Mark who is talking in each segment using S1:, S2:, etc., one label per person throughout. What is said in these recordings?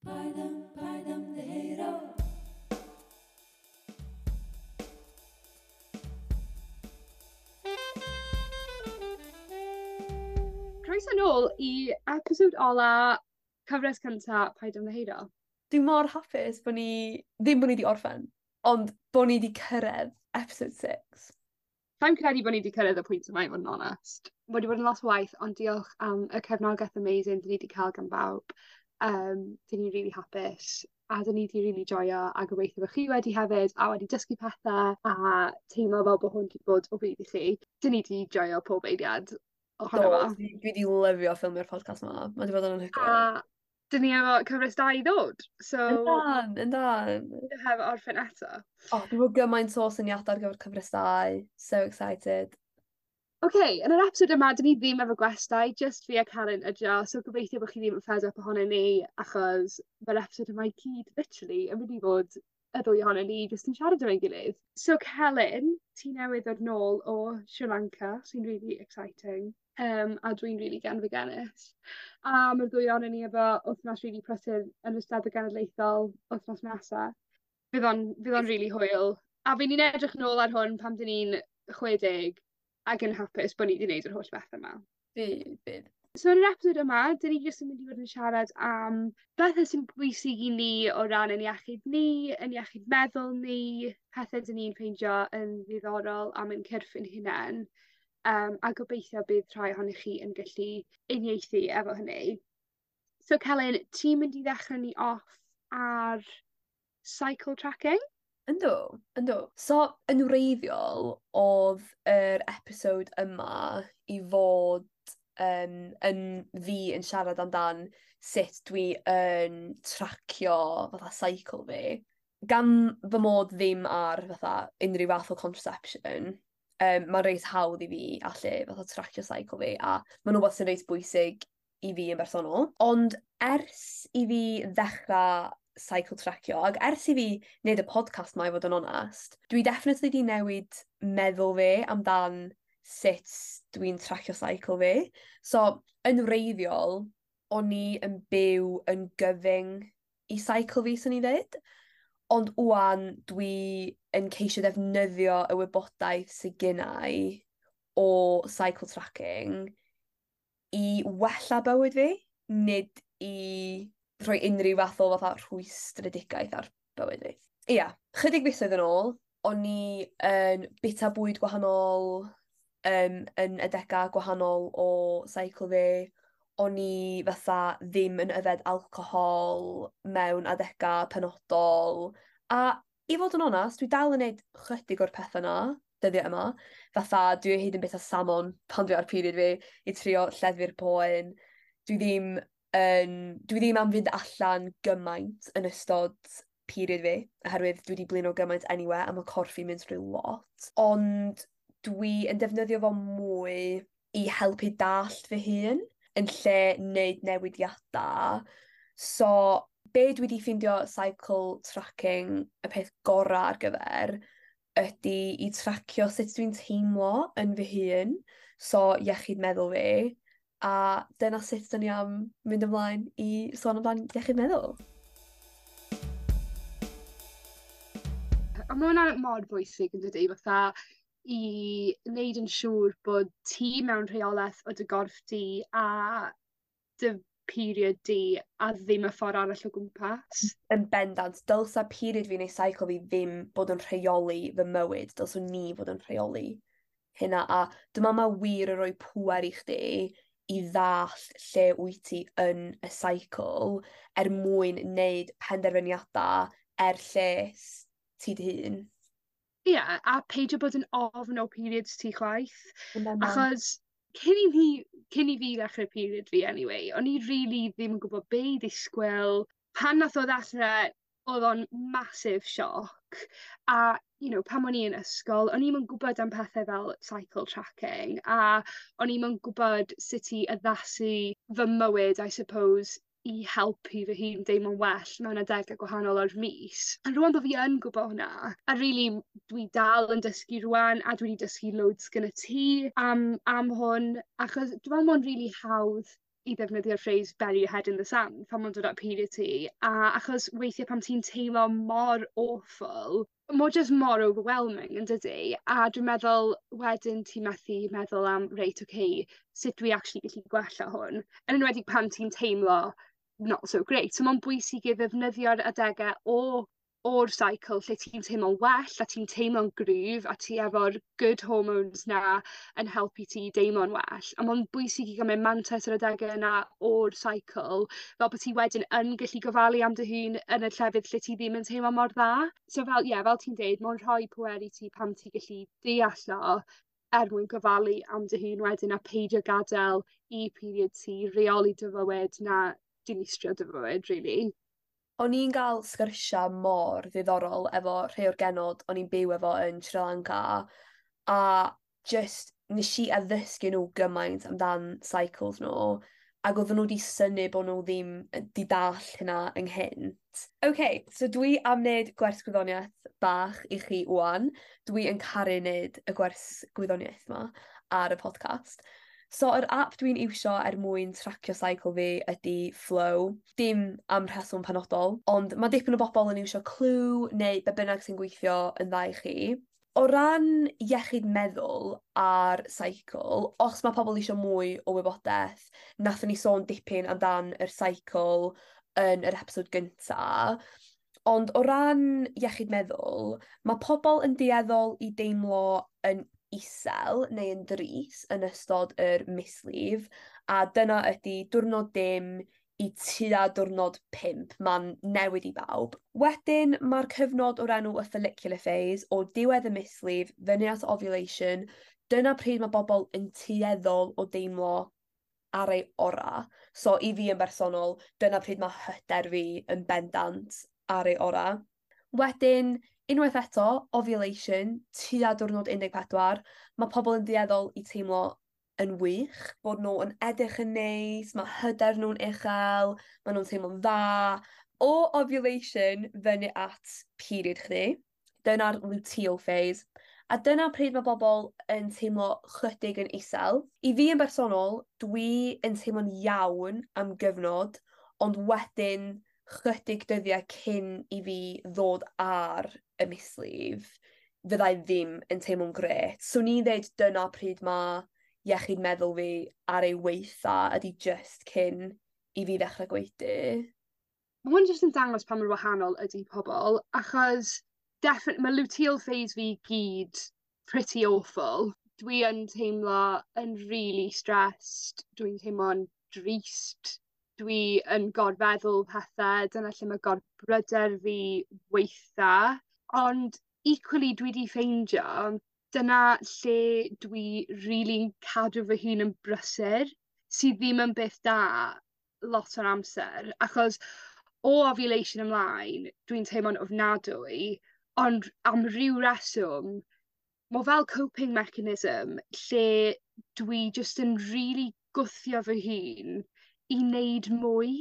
S1: Paid am, paid ymddiheuro. Croeso nôl i episod ola cyfres cynta Paid Ymddiheuro.
S2: Dwi mor hapus bo' ni ddim bo' ni 'di orffen ond bo' ni 'di cyrredd episode six.
S1: Sai'n credu bo' ni 'di cyrredd y pwynt yma i fod yn onest. Ma' 'di bod yn lot o waith ond diolch am y cefnogaeth amazing 'dyn ni 'di ca'l gan bawb. 'Dyn ni rili hapus a 'dyn ni 'di rili joio a gobeithio bo' chi wedi hefyd a wedi dysgu pethe a teimlo fel bo' hwn 'di bod o fudd i chi. 'Dyn ni 'di joio pob eiliad ohono
S2: Do
S1: fo.
S2: dwi 'di lyfio ffilmio'r podcast 'ma. Ma' 'di bod yn anhygoel.
S1: A 'dyn ni efo cyfres dau i ddod so...
S2: Yndan yndan.
S1: ...heb orffen eto.
S2: O dwi 'fo gymaint o syniade ar gyfer cyfres dau. So excited.
S1: Oce yn yr episod yma 'dyn ni ddim efo gwestai jyst fi a Calyn ydi o so gobeithio bo' chi ddim yn fed up ohonon ni achos ma'r episod yma i gyd literally yn mynd i fod y ddwy ohonon ni jyst yn siarad efo'n gilydd. So Celyn ti newydd ddod nôl o Sri Lanka sy'n rili exciting. A dwi'n rili genfigennus. A ma'r ddwy onon ni efo wthnos rili prysur yn y Steddfod Genedlaethol wthnos nesa. Fydd o'n rili hwyl. A by' ni'n edrych nôl ar hwn pan 'dyn ni'n 60 ag yn hapus bo' ni 'di neud yr holl bethe 'ma.
S2: Bydd bydd.
S1: So yn yr episod yma 'dyn ni jyst yn mynd i fod yn siarad am bethe sy'n bwysig i ni o ran 'yn iechyd ni 'yn iechyd meddwl ni, pethe 'dyn ni'n ffeindio yn ddiddorol am ein cyrff 'yn hunen. A gobeithio bydd rhai ohonoch chi yn gallu uniaethu efo hynny. So Celyn ti'n mynd i ddechre ni off ar cycle tracking?
S2: Yndw yndw. So yn wreiddiol o'dd yr episode yma i fod yn fi yn siarad amdan sut dwi yn tracio fatha cycle fi. Gan fy mod ddim ar fatha unryw fath o contraception ma'n reit hawdd i fi allu fatha tracio cycle fi a ma'n wbath sy'n reit bwysig i fi yn bersonol. Ond ers i fi ddechra cycle tracio ag ers i fi neud y podcast 'ma i fod yn onast dwi definitely 'di newid meddwl fi amdan sut dwi'n tracio cycle fi. So yn wreiddiol o'n i yn byw yn gyfyng i cycle fi swn i ddeud. Ond ŵan dwi yn ceisio defnyddio y wybodaeth sy gennai o cycle tracking i wella bywyd fi, nid i rhoi unryw fath o fatha rhwystredigaeth ar bywyd fi. Ia, chydig fisoedd yn ôl, o'n i yn bita bwyd gwahanol, yn adega gwahanol o cycle fi. O'n i fatha ddim yn yfed alcohol mewn adega penodol. A i fod yn onast, dwi dal yn neud chydig o'r pethe 'na dyddia' yma. Fatha dwi o hyd yn bita salmon pan dwi ar period fi i trio lleddfu'r poen. Dwi ddim am fynd allan gymaint yn ystod period fi oherwydd dwi 'di blino gymaint eniwe a ma' corff fi'n mynd trwy lot. Ond dwi yn defnyddio fo mwy i helpu dallt fy hun yn lle neud newidiada. So be' dwi 'di ffindio cycle tracking y peth gora' ar gyfer ydi i tracio sut dwi'n teimlo yn fy hun, so iechyd meddwl fi, a dyna sut 'dyn ni am mynd ymlaen i sôn amdan iechyd meddwl.
S1: A ma' wnna mor bwysig yndydi fatha i neud yn siŵr bod ti mewn rheoleth o dy gorff di a dy period di a ddim y ffor arall o gwmpas.
S2: Yn bendant dylsa period fi neu cycle fi ddim bod yn rheoli fy mywyd dylswn ni fod yn rheoli hynna a dwi me'wl ma' wir yn roi pŵer i chdi i ddallt lle wyt ti yn y cycle er mwyn neud penderfyniada er lles ti dy hun.
S1: Ie a peidio bod yn ofn o periods ti chwaith.
S2: Yn bendant.
S1: Achos cyn i fi ddechre period fi anyway o'n i rili ddim yn gwbo be' i ddisgwyl. Pan nath o ddechre o'dd o'n massive shock a pan o'n i yn ysgol o'n i'm yn gwbod am pethe fel cycle tracking a o'n i'm yn gwbod sut i addasu fy mywyd I suppose i helpu fy hun deimlo'n well mewn adege gwahanol o'r mis. A rŵan bo' fi yn gwbo hwnna a rili dwi dal yn dysgu rŵan a dwi 'di dysgu loads gynnyt ti am hwn achos dwi me'wl ma' o'n rili hawdd i ddefnyddio'r phrase bury your head in the sand pan ma'n dod at period ti a achos weithie pan ti'n teimlo mor awful m'o jys mor overwhelming yndydi? A dwi'n meddwl wedyn ti methu meddwl am reit oce sut dwi actually gallu gwella hwn? Yn enwedig pan ti'n teimlo not so great. So ma'n bwysig i ddefnyddio'r adege o o'r cycle lle ti'n teimlo'n well a ti'n teimlo'n gryf a ti efo'r good hormones 'na yn helpu ti i deimlo'n well. A ma'n bwysig i gymryd mantes yr adege yna o'r cycle fel bo' ti wedyn yn gallu gofalu am dy hun yn y llefydd lle ti ddim yn teimlo mor dda. So fel ie fel ti'n deud ma' o'n rhoi pwer i ti pan ti gallu deall o er mwyn gofalu am dy hun wedyn a peidio gad'el i period ti reoli dy fywyd na dinistrio dy fywyd rili.
S2: O'n i'n ga'l sgyrsia mor ddiddorol efo rhei o'r genod o'n i'n byw efo yn Sri Lanka a jyst nesh i addysgu n'w gymaint amdan cycles n'w ag odden n'w 'di synnu bo' n'w ddim yy 'di dall' hynna ynghynt. Oce so dwi am neud gwers gwyddonieth bach i chi ŵan. Dwi yn caru neud y gwers gwyddoniaeth 'ma ar y podcast. So yr ap dwi'n iwsio er mwyn tracio cycle fi ydi Flo. Dim am rheswm penodol, ond ma' dipyn o bobol yn iwsio Clue neu be' bynnag sy'n gweithio yn dda i chi. O ran iechyd meddwl a'r cycle, os ma' pobol isio mwy o wybodeth, nathon ni sôn dipyn amdan yr cycle yn yr episode gynta. Ond o ran iechyd meddwl, ma' pobol yn dueddol i deimlo yn isel neu yn drist yn ystod yr mislif a dyna ydi diwrnod dim i tua diwrnod pump, ma'n newid i bawb. Wedyn ma'r cyfnod o'r enw y follicular phase o diwedd y mislif fyny at ovulation, dyna pryd ma' bobol yn tueddol o deimlo ar ei ora. So i fi yn bersonol, dyna pryd ma' hyder fi yn bendant ar ei ora. Wedyn, unwaith eto, ovulation, tua diwrnod 14, ma' pobol yn dueddol i teimlo yn wych, bod n'w yn edrych yn neis, ma' hyder nw'n uchel, ma' nw'n teimlo'n dda. O ovulation fyny at period chdi, dyna'r luteal phase. A dyna pryd ma' bobol yn teimlo chydig yn isel. I fi yn bersonol, dwi yn teimlo'n iawn am gyfnod, ond wedyn chydig dyddiau cyn i fi ddod ar y mislif, fyddai ddim yn teimlo'n grêt. Swn i'n ddeud dyna pryd ma' iechyd meddwl fi ar ei weitha ydi jyst cyn i fi ddechre gwaedu.
S1: Ma' hwn jyst yn dangos pa mor wahanol ydi pobol achos definate- ma' luteal phase fi gyd pretty awful. Dwi yn teimlo yn rili stressed, dwi'n teimlo'n drist, dwi yn gorfeddwl pethe, dyna lle ma' gorbryder fi weitha. Ond equally dwi 'di ffeindio dyna lle dwi rili'n cadw fy hun yn brysur sy ddim yn beth da lot o'r amser achos o ovulation ymlaen dwi'n teimlo'n ofnadwy ond am ryw reswm ma' o fel coping mechanism lle dwi jyst yn rili gwthio fy hun i neud mwy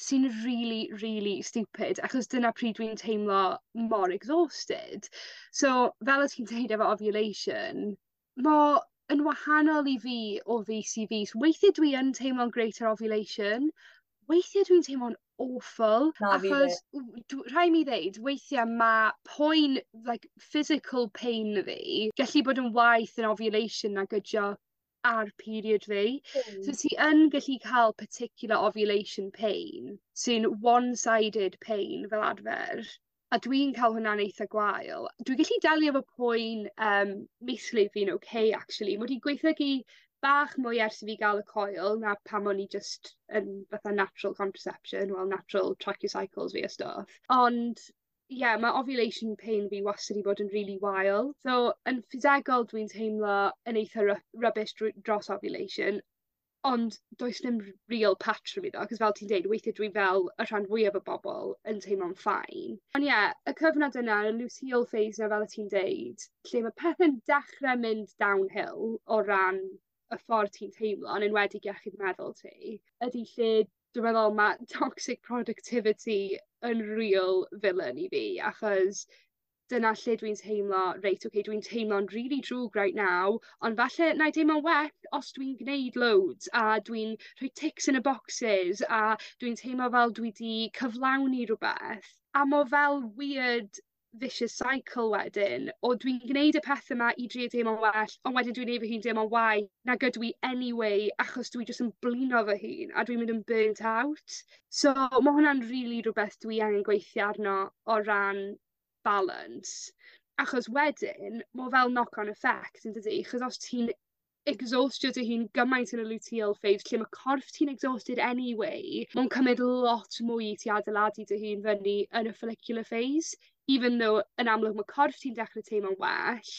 S1: sy'n rili rili stupid achos dyna pryd dwi'n teimlo mor exhausted. So fel o' ti'n deud efo ovulation m'o yn wahanol i fi o fis i fis. Weithie dwi yn teimlo'n grate ar ovulation weithie dwi'n teimlo'n awful.
S2: Na fi 'fyd.
S1: Achos w- dw- rhai' mi ddeud weithie ma' poen like physical pain fi gallu bod yn waeth yn ovulation nag ydi o ar period fi. So ti yn gallu ca'l particular ovulation pain sy'n one sided pain fel arfer. A dwi'n ca'l hwnna'n eitha gwael. Dwi gallu delio efo poen mislif fi'n okay actually ma' 'di gwaethygu bach mwy ers i fi ga'l y coil na pan o'n i jyst yn fatha natural contraception wel natural tracio cycles fi a stwff. Ond ie ma' ovulation pain fi wastad 'di bod yn rili wael. So yn ffisegol dwi'n teimlo yn eitha rubbish drwy dros ovulation ond does dim real patrwm iddo 'chos fel ti'n deud weithie dwi fel y rhan fwyaf o bobol yn teimlo'n fine. On' ie y cyfnod yna y luteal phase 'na fel o' ti'n deud lle ma' pethe'n dechre mynd downhill o ran y ffordd ti'n teimlo yn enwedig iechyd meddwl ti ydi lle dwi meddwl ma' toxic productivity yn real villain i fi achos Dyna lle dwi'n teimlo reit oce dwi'n teimlo'n rili drwg right now ond falle 'nai deimlo'n well os dwi'n gneud loads a dwi'n rhoi ticks yn y bocsys a dwi'n teimlo fel dwi 'di cyflawni rwbeth. A m'o fel weird vicious cycle wedyn o dwi'n gneud y pethe 'ma i drio teimlo'n well on' wedyn dwi'n neud fy hun deimlo'n waeth nag ydw i anyway achos dwi jys yn blino fy hun a dwi'n mynd yn burnt out. So ma' hwnna'n rili rwbeth dwi angen gweithio arno o ran balance. Achos wedyn m'o fel knock on effect yndydi? 'Chos os ti'n exhaustio dy hun gymaint yn y luteal phase lle ma' corff ti'n exhausted anyway ma'n cymyd lot mwy i ti adeiladu dy hun fyny yn y follicular phase even though yn amlwg ma' corff ti'n dechre teimlo'n well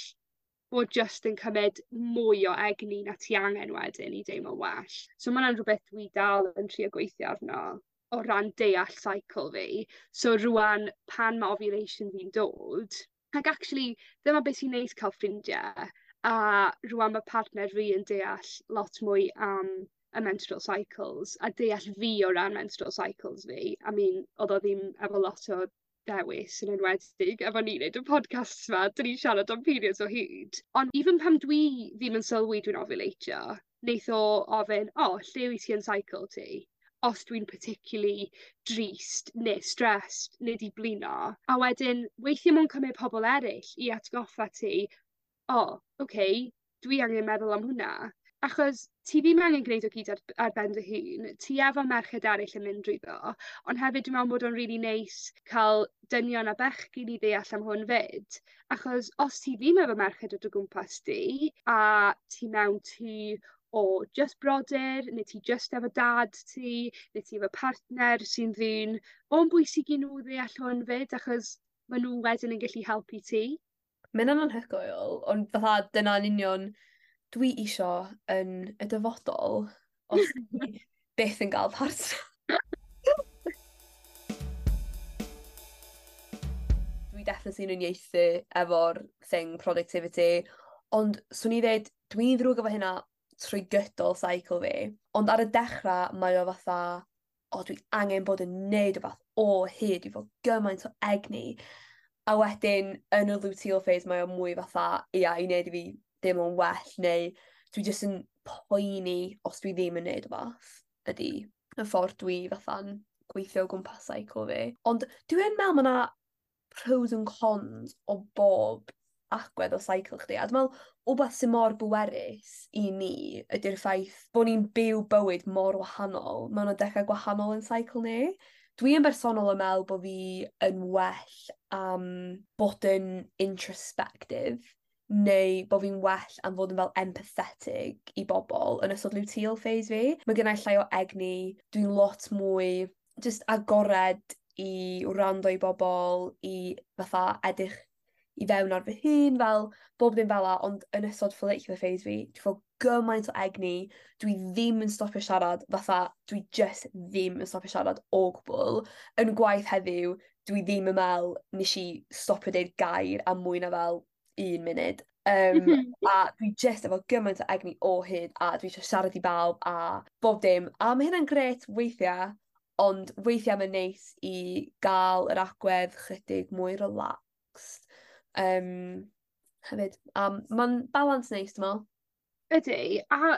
S1: bod jyst yn cymyd mwy o egni na ti angen wedyn i deimlo'n well. So ma' wnna'n rwbeth dwi dal yn trio gweithio arno o ran deall cycle fi. So rŵan pan ma' ovulation fi'n dod ac actually dyma beth sy'n neis ca'l ffrindie a rŵan ma' partner fi yn deall lot mwy am y menstrual cycles a deall fi o ran menstrual cycles fi. I mean o'dd o ddim efo lot o dewis yn enwedig efo ni neud y podcasts 'ma 'dyn ni'n siarad am periods o hyd. Ond even pan dwi ddim yn sylwi dwi'n ofiwlatio neith o ofyn o lle wyt ti yn cycle ti? Os dwi'n particularly drist ne' stressed ne' 'di blino. A wedyn weithie ma' o'n cymyd pobol eryll i atgoffa ti o oce dwi angen meddwl am hwnna. Achos ti ddim angen gneud o gyd ar ben dy hun, ti efo merched eryll yn mynd drwyddo, ond hefyd dwi me'wl bod o'n rili neis ca'l dynion a bechgyn i ddeall am hwn 'fyd achos os ti ddim efo merched o dy gwmpas di a ti mewn tŷ o jyst brodyr ne' ti jyst efo dad ti ne' ti efo partner sy'n ddyn o'n bwysig i n'w ddeall hwn 'fyd achos ma' n'w wedyn yn gellu helpu ti.
S2: Ma' ynna'n anhygoel ond fatha dyna'n union dwi isio yn y dyfodol os dwi byth yn ga'l partner. Dwi definitely yn uniaethu efo'r thing productivity ond swn i ddeud dwi'n ddrwg efo hynna trwy gydol cycle fi ond ar y dechra mae o fatha o dwi angen bod yn neud rwbath o hyd dwi 'fo gymaint o egni. A wedyn yn y luteal phase mae o mwy fatha ia i neud i fi deimlo'n well neu dwi jyst yn poeni os dwi ddim yn neud wbath ydi y ffordd dwi fatha'n gweithio o gwmpas cycle fi. Ond dwi yn me'wl ma' 'na pros and cons o bob agwedd o cycle chdi a dwi me'wl wbath sy mor bwerus i ni ydi'r ffaith bo' ni'n byw bywyd mor wahanol mewn adega gwahanol yn cycle ni. Dwi yn bersonol yn me'wl bo' fi yn well am bod yn introspective neu bo' fi'n well am fod yn fel empathetic i bobol yn ystod luteal phase fi. Ma' gynnai llai o egni, dwi'n lot mwy jyst agored i wrando i bobol, i fatha edrych i fewn ar fy hun fel bob dim fel 'a ond yn ystod follicular phase fi dwi 'fo gymaint o egni dwi ddim yn stopio siarad fatha dwi jyst ddim yn stopio siarad o gwbwl. Yn gwaith heddiw dwi ddim yn me'wl nesh i stopio deud gair am mwy na fel un munud. A dwi jyst efo gymaint o egni o hyd a dwi isio siarad i bawb a bob dim a ma' hynna'n grêt weithia' ond weithia' ma'n neis i ga'l yr agwedd chydig mwy relaxed hefyd. A ma'n balans neis dwi me'wl.
S1: Ydi a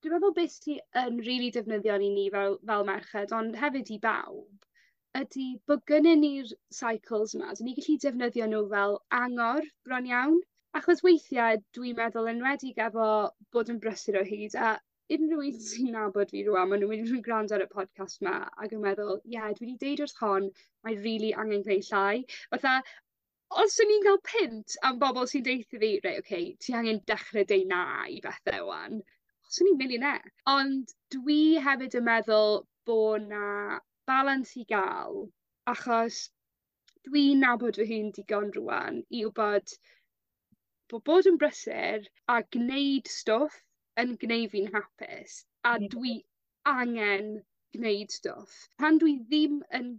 S1: dwi meddwl beth sy yn rili defnyddiol i ni fel merched ond hefyd i bawb ydi bo' gynnyn ni'r cycles 'ma 'dyn ni gallu defnyddio n'w fel angor bron iawn. Achos weithie dwi'n meddwl enwedig efo bod yn brysur o hyd a unryw un sy'n nabod fi rŵan ma' n'w mynd i grando ar y podcast 'ma ag yn meddwl ie dwi 'di deud wrth hon mae rili angen gneud llai. Fatha os o'n i'n ga'l punt am bobol sy'n deutho fi reit oce ti angen dechre deu na i bethe 'wan swn i'n millionaire. Ond dwi hefyd yn meddwl bo' 'na balans i ga'l achos dwi'n nabod fy hun digon rŵan i wbod bo' bod yn brysur a gneud stwff yn gneu' fi'n hapus a dwi angen gneud stwff. Pan dwi ddim yn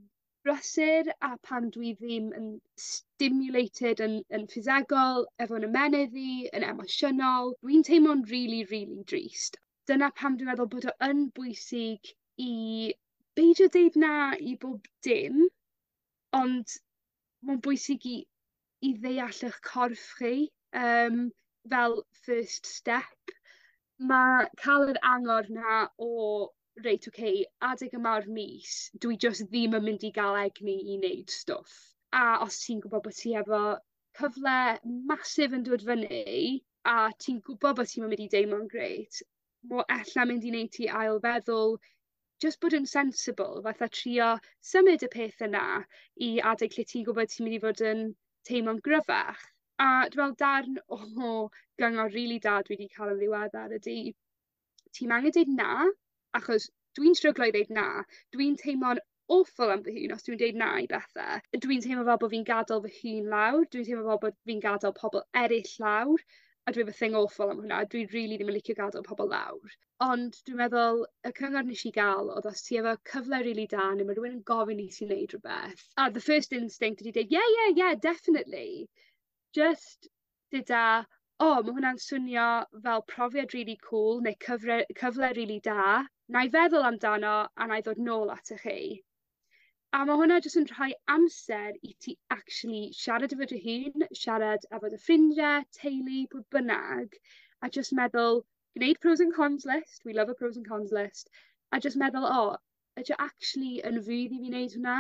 S1: brysur a pan dwi ddim yn stimulated yn ffisegol efo'n ymennydd fi yn emosiynol dwi'n teimlo'n rili rili drist. Dyna pam dwi meddwl bod o yn bwysig i beidio deud na i bob dim ond ma'n bwysig i i ddeall 'ych corff chi fel first step. Ma' ca'l yr angor 'na o reit oce adeg yma o'r mis dwi jyst ddim yn mynd i ga'l egni i neud stwff. A os ti'n gwbo bo' ti efo cyfle massive yn dod fyny a ti'n gwbo bo' ti'm yn mynd i deimlo'n grêt m'o ella mynd i neud ti ail feddwl jyst bod yn sensible fatha trio symud y peth yna i adeg lle ti'n gwbod ti myn' i fod yn teimlo'n gryfach. A dwi me'wl darn o gyngor rili da dwi 'di ca'l yn ddiweddar ydi ti'm angen deud na achos dwi'n stryglo i ddeud na. Dwi'n teimlo'n awful am fy hun os dwi'n deud na i bethe. Dwi'n teimlo fel bo' fi'n gadel fy hun lawr dwi'n teimlo fel bod fi'n gadel pobol eryll lawr a dwi efo thing awful am hwnna dwi rili ddim yn licio gadel pobol lawr. Ond dwi'n meddwl y cyngor nesh i ga'l o'dd os ti efo cyfle rili da ne' ma' rywun yn gofyn i ti neud rwbeth a the first instinct ydi deud ie ie ie definitely jyst deda o ma' hwnna'n swnio fel profiad rili cŵl neu cyfre cyfle rili da 'nai feddwl amdano a 'nai ddod nôl atoch chi. A ma' hwnna jys yn rhoi amser i ti actually siarad efo dy hun, siarad efo dy ffrindie, teulu, pwy bynnag a jyst meddwl gneud pros and cons list, we love a pros and cons list a jyst meddwl o ydi o actually yn fudd i fi neud hwnna?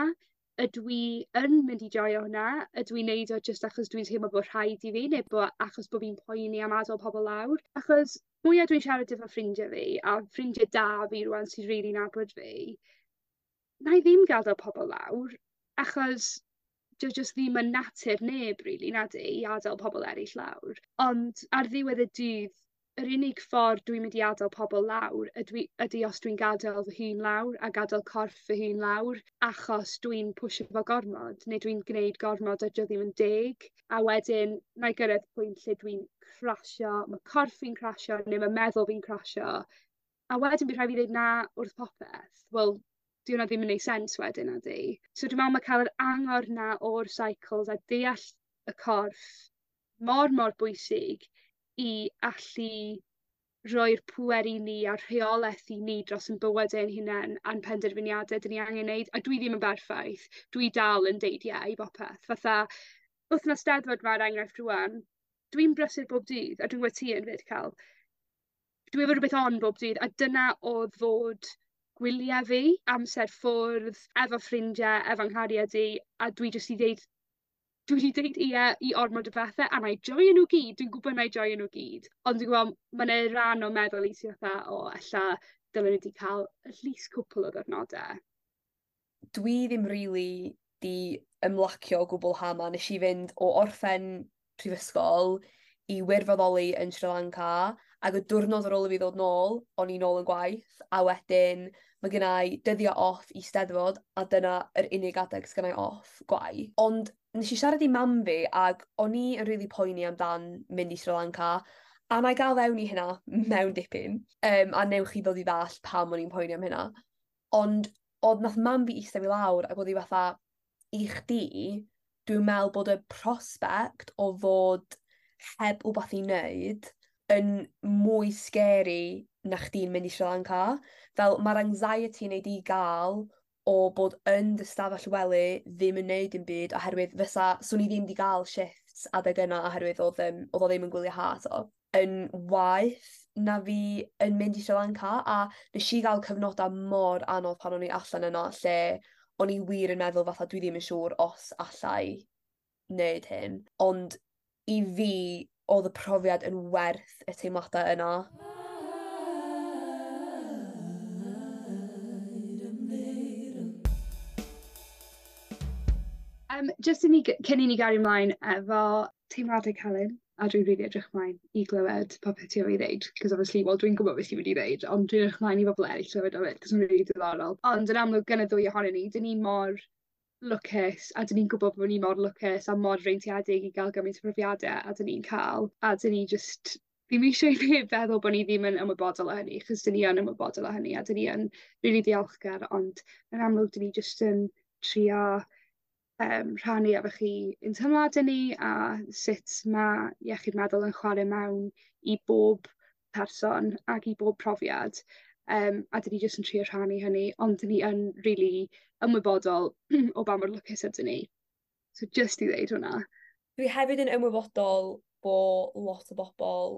S1: Ydw i yn mynd i joio hwnna? Ydw i'n neud o jyst achos dwi'n teimlo bo' rhaid i fi neu achos bo' fi'n poeni am adel pobol lawr? Achos mwya dwi'n siarad efo ffrindie fi a ffrindie da fi rŵan sy rili nabod fi 'nai ddim gadel pobol lawr achos 'di o jyst ddim yn natur neb rili nadi i adel pobol eryll lawr. Ond ar ddiwedd y dydd yr unig ffordd dwi'n mynd i adel pobol lawr ydw i ydi os dwi'n gadel fy hun lawr a gadel corff fy hun lawr achos dwi'n pwsio fo gormod neu dwi'n gneud gormod a 'di o ddim yn deg. A wedyn 'nai gyrredd pwynt lle dwi'n crasio, ma' corff fi'n crasio neu ma' meddwl fi'n crasio a wedyn by' rhai' fi ddeud na wrth popeth. Wel 'di wnna ddim yn neud sense wedyn nadi? So dwi me'wl ma' ca'l yr angor 'na o'r cycles a deall y corff mor mor bwysig i allu roi'r pŵer i ni a'r rheoleth i ni dros 'yn bywyde ein hunen a'n penderfyniade 'dyn ni angen neud. A dwi ddim yn berffaith. Dwi dal yn deud ie i bopeth fatha wthnos 'Steddfod 'ma er enghraifft rŵan dwi'n brysur bob dydd a dwi'n gwbo ti yn 'fyd Ca'l. Dwi efo rwbeth on bob dydd a dyna o'dd fod gwylie fi, amser ffwrdd, efo ffrindie, efo'n nghariad i, a dwi jyst 'di deud dwi 'di deud ie i ormod o bethe a 'nai joio n'w gyd dwi'n gwbo 'nai joio n'w gyd ond dwi gwbo ma' 'ne ran o meddwl i sy fatha o ella dylen i 'di ca'l at least cwpwl o ddiwrnode.
S2: Dwi ddim rili 'di ymlacio o gwbwl ha' 'ma. Nesh i fynd o orffen prifysgol i wirfoddoli yn Sri Lanka ag y diwrnod ar ôl i fi ddod nôl o'n i nôl yn gwaith a wedyn ma' gennai dyddia' off i Steddfod a dyna yr unig adeg sgynnai off gwaith. Ond nes i siarad i mam fi ag o'n i yn rili poeni amdan mynd i Sri Lanka a 'nai ga'l fewn i hynna mewn dipyn a newch chi ddod i ddall pam o'n i'n poeni am hynna. Ond o'dd nath mam fi ista fi lawr ag o'dd 'i fatha i chdi dwi'n me'wl bod y prospect o fod heb wbath i neud yn mwy scary na chdi'n mynd i Sri Lanka. Fel ma'r anxiety wnei di ga'l o bod yn dy stafell wely ddim yn neud dim byd oherwydd fysa swn i ddim 'di ga'l shifts adeg yna oherwydd o'dd o'dd o ddim yn gwylie ha 'to yn waeth na fi yn mynd i Sri Lanka a nesh i ga'l cyfnoda mor anodd pan o'n i allan yna lle o'n i wir yn meddwl fatha dwi ddim yn siŵr os allai neud hyn ond i fi o'dd y profiad yn werth y teimlada yna.
S1: Jyst i ni cyn i ni gario mlaen efo teimlade Calyn, a dwi'n rili edrych mlaen i glywed popeth ti efo i ddeud 'cos obviously wel dwi'n gwbod beth ti mynd i ddeud ond dwi'n edrych mlaen i bobol eryll clywed o 'fyd 'cos ma'n rili diddorol. Ond yn amlwg gan y ddwy ohonyn ni 'dyn ni mor lwcus a 'dyn ni'n gwbod bo' ni mor lwcus a mor freintiedig i ga'l gymaint o profiade a 'dyn ni'n ca'l a 'dyn ni jyst ddim eisiau i neb feddwl bo' ni ddim yn ymwybodol o hynny 'chos 'dyn ni yn ymwybodol o hynny a 'dyn ni yn rili diolchgar ond yn amlwg 'dyn ni jyst yn trio rhannu efo chi ein teimlade ni a sut ma' iechyd meddwl yn chware mewn i bob person ag i bob profiad. A 'dyn ni jyst yn trio rhannu hynny ond 'dyn ni yn rili ymwybodol o ba mor lwcus ydyn ni. So jyst i ddeud hwnna.
S2: Dwi hefyd yn ymwybodol bo' lot o bobol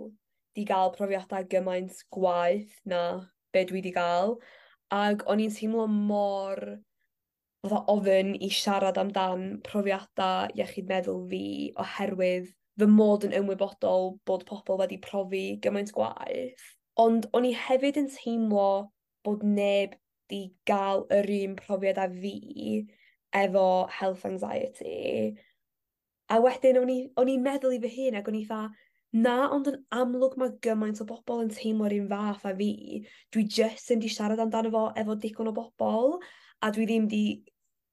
S2: 'di ga'l profiada gymaint gwaeth na be' dwi 'di ga'l ag o'n i'n teimlo mor fatha ofyn i siarad amdan profiada iechyd meddwl fi oherwydd fy mod yn ymwybodol bod pobol wedi profi gymaint gwaeth. Ond o'n i hefyd yn teimlo bod neb 'di ga'l yr un profiad â fi efo health anxiety. A wedyn o'n i'n meddwl i fy hun ag o'n i 'tha na ond yn amlwg ma' gymaint o bobol yn teimlo'r un fath â fi. Dwi jyst ddim 'di siarad amdano fo efo digon o bobol a dwi ddim 'di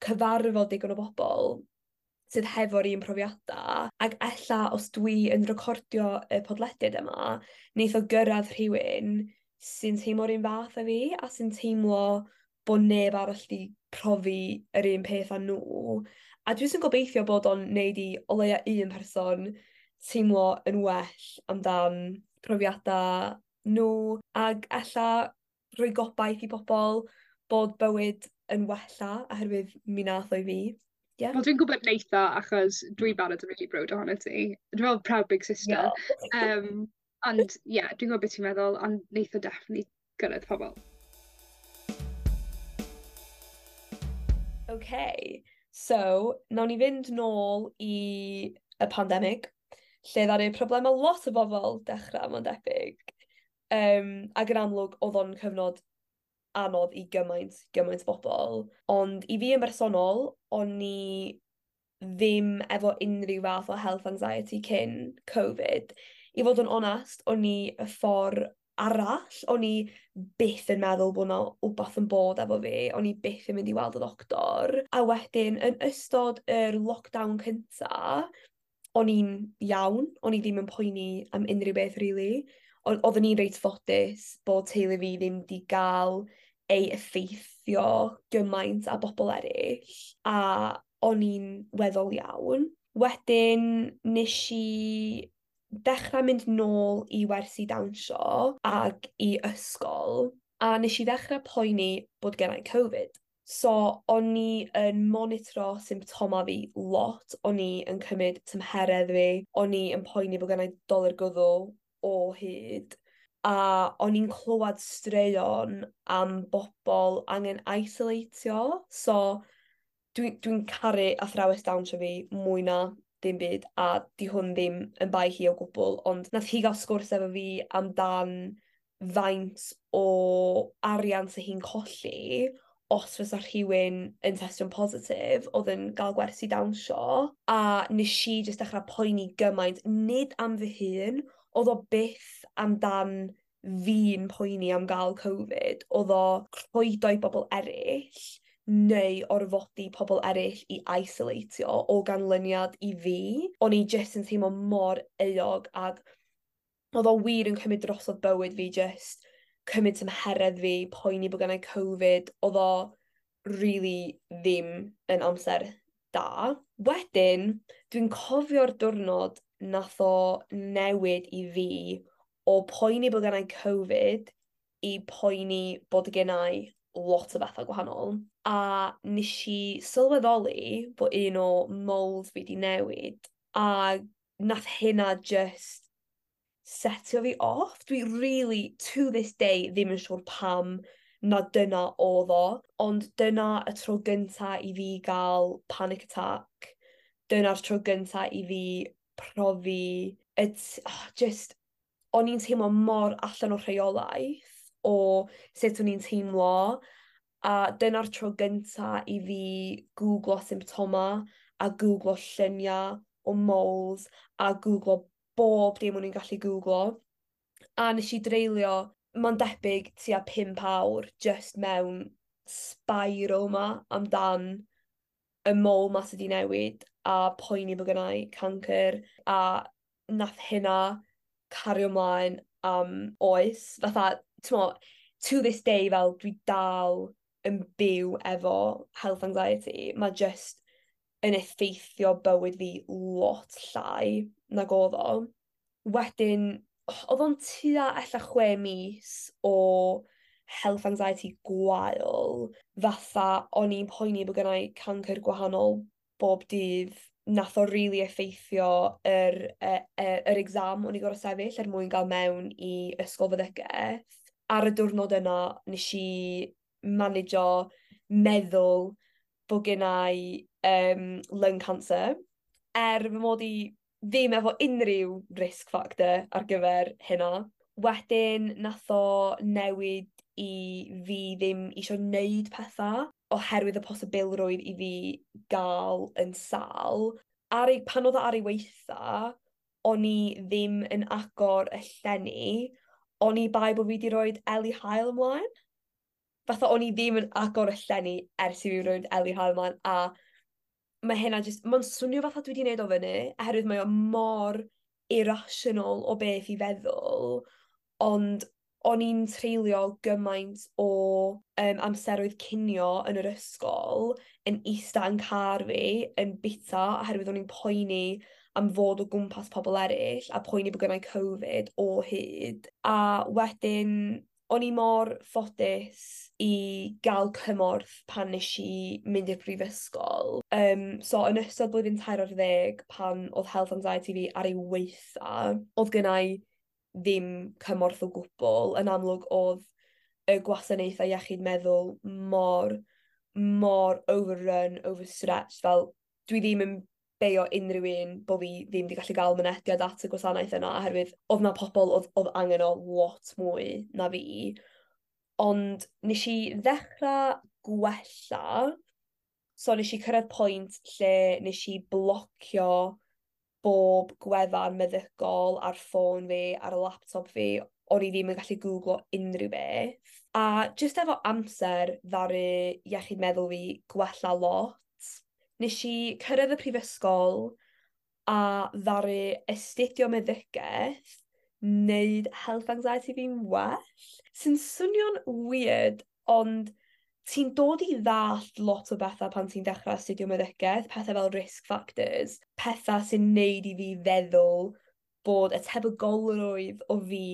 S2: cyfarfod digon o bobol sydd hefo'r un profiada ag ella os dwi yn recordio y podlediad yma neith o gyrradd rhywun sy'n teimlo'r un fath â fi a sy'n teimlo bo' neb arall 'di profi yr un peth â n'w. A dwi jyst yn gobeithio bod o'n neud i o leia un person teimlo yn well amdan profiada n'w ag ella rhoi gobaith i bobol bod bywyd yn wella oherwydd mi nath o i fi. Ie.
S1: Wel dwi'n gwbod neith o achos dwi barod yn rili browd ohono ti. Dwi me'wl proud big sister. Ond ie dwi'n gwbo be' ti'n meddwl on' neith o definitely gyrredd pobol.
S2: Okay so nawn ni fynd nôl i y pandemig lle ddaru problema lot o bobol dechra ma'n debyg. Ag yn amlwg o'dd o'n cyfnod anodd i gymaint gymaint bobol. Ond i fi yn bersonol o'n i ddim efo unrhyw fath o health anxiety cyn Covid. I fod yn onast o'n i y ffor arall o'n i byth yn meddwl bo' 'na wbath yn bod efo fi o'n i byth yn mynd i weld y doctor. A wedyn yn ystod yr lockdown cynta o'n i'n iawn o'n i ddim yn poeni am unrhyw beth rili. Oddwn i'n reit ffodus bod teulu fi ddim 'di ga'l ei effeithio gymaint â bobol eryll a o'n i'n weddol iawn. Wedyn nesh i dechra mynd nôl i wersi dawnsio ag i ysgol a nesh i ddechre poeni bod gennai Covid. So o'n i yn monitro symptoma fi lot o'n i yn cymyd tymheredd fi, o'n i yn poeni bo' gennai dolur gwddw o hyd a o'n i'n clywad straeon am bobol angen isolatio so dwi caru athrawes dawnsio fi mwy na dim byd a 'di hwn ddim yn bai hi o gwbwl ond nath hi ga'l sgwrs efo fi amdan faint o arian sa hi'n colli os fysa rhywun yn testio'n positif o'dd yn ga'l gwersi dawnsio a nesh i jyst dechra poeni gymaint nid am fy hun o'dd o byth amdan fi'n poeni am ga'l Covid o'dd o rhoid o i bobol eryll neu orfodi pobol eryll i isolatio o ganlyniad i fi. O'n i jyst yn teimlo mor euog ag o'dd o wir yn cymryd drosodd bywyd fi jyst cymryd tymheredd fi, poeni bo' gennai Covid, o'dd o rili ddim yn amser da. Wedyn dwi'n cofio'r diwrnod nath o newid i fi o poeni bo' gennai Covid i poeni bod gennai lot o betha gwahanol. A nesh i sylweddoli bo' un o moles fi 'di newid a nath hynna jyst setio fi off. Dwi rili to this day ddim yn siŵr pam na dyna o'dd o ond dyna y tro gynta i fi ga'l panic attack. Dyna'r tro gynta i fi profi y oh jyst o'n i'n teimlo mor allan o rheolaeth o sut o'n i'n teimlo a dyna'r tro gynta i fi gwglo symptoma a gwglo llunia o moles a gwglo bob dim o'n i'n gallu gwglo. A nesh i dreulio ma'n debyg tua pump awr jyst mewn spiral 'ma amdan y mole 'ma sy 'di newid a poeni bo' gennai cancyr a nath hynna cario mlaen am oes. Fatha t'mo' to this day fel dwi dal yn byw efo health anxiety ma' jyst yn effeithio bywyd fi lot llai nag o'dd o. Wedyn o'dd o'n tua ella 6 mis o health anxiety gwael fatha o'n i'n poeni bo' gennai cancyr gwahanol bob dydd, nath o rili effeithio yr exam o'n i gor'o' sefyll er mwyn ga'l mewn i ysgol feddygaeth. Ar y diwrnod yna nesh i manejio meddwl bo' gennai lung cancer. Er fy mod i ddim efo unryw risk factor ar gyfer hynna. Wedyn nath o newid i fi ddim isio neud petha oherwydd y posibilrwydd i fi ga'l yn sâl. Ar ei... Pan o'dd o ar ei weitha o'n i ddim yn agor y llenni oni bai bo' fi 'di roid eli haul ymlaen. Fatha o'n i ddim yn agor y llenni ers i fi roid eli haul ymlaen a ma' hynna jyst ma'n swnio fatha dwi 'di neud o fyny oherwydd mae o mor irrational o beth i feddwl ond o'n i'n treulio gymaint o amseroedd cinio yn yr ysgol yn ista yn car fi yn bita oherwydd o'n i'n poeni am fod o gwmpas pobol eryll a poeni bo' gynnai Covid o hyd. A wedyn o'n i mor ffodus i ga'l cymorth pan nesh i mynd i'r brifysgol. So yn ystod blwyddyn 13 pan o'dd health anxiety fi ar ei weitha o'dd gynnai ddim cymorth o gwbwl. Yn amlwg o'dd y gwasanaethau iechyd meddwl mor mor overrun, overstretched, fel dwi ddim yn beio unryw un bo' fi ddim 'di gallu ga'l mynediad at y gwasanaeth yna oherwydd o'dd 'na pobol o'dd angen o lot mwy na fi. Ond nesh i ddechra gwella, so nesh i cyrraedd pwynt lle nesh i blocio bob gwefan meddygol ar ffôn fi, ar laptop fi, o'n i ddim yn gallu gwglo unryw beth. A jyst efo amser ddaru iechyd meddwl fi gwella lot. Nesh i cyrredd y prifysgol a ddaru astudio meddygeth neud health anxiety fi'n well. Sy'n swnio'n weird ond ti'n dod i ddallt lot o betha pan ti'n dechre astudio meddygeth, pethe fel risk factors, petha sy'n neud i fi feddwl bod y tebygolrwydd o fi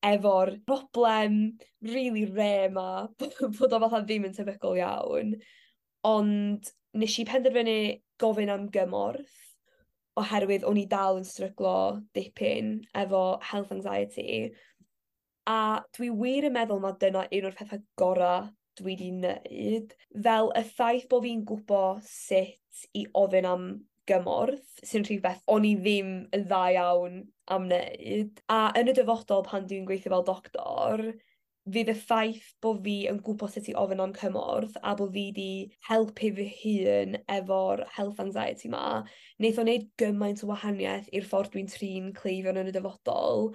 S2: efo'r broblem rili rare 'ma bod o fatha ddim yn tebygol iawn. Ond nesh i penderfynu gofyn am gymorth oherwydd o'n i dal yn stryglo dipyn efo health anxiety. A dwi wir yn meddwl ma' dyna un o'r petha gora' dwi 'di neud. Fel y ffaith bo' fi'n gwbo sut i ofyn am gymorth sy'n rhywbeth o'n i ddim yn dda iawn am wneud. A yn y dyfodol pan dwi'n gweithio fel doctor, fydd y ffaith bo' fi yn gwbo sut i ofyn am cymorth a bo' fi 'di helpu fy hun efo'r health anxiety 'ma, neith o neud gymaint o wahanieth i'r ffordd dwi'n trin cleifion yn y dyfodol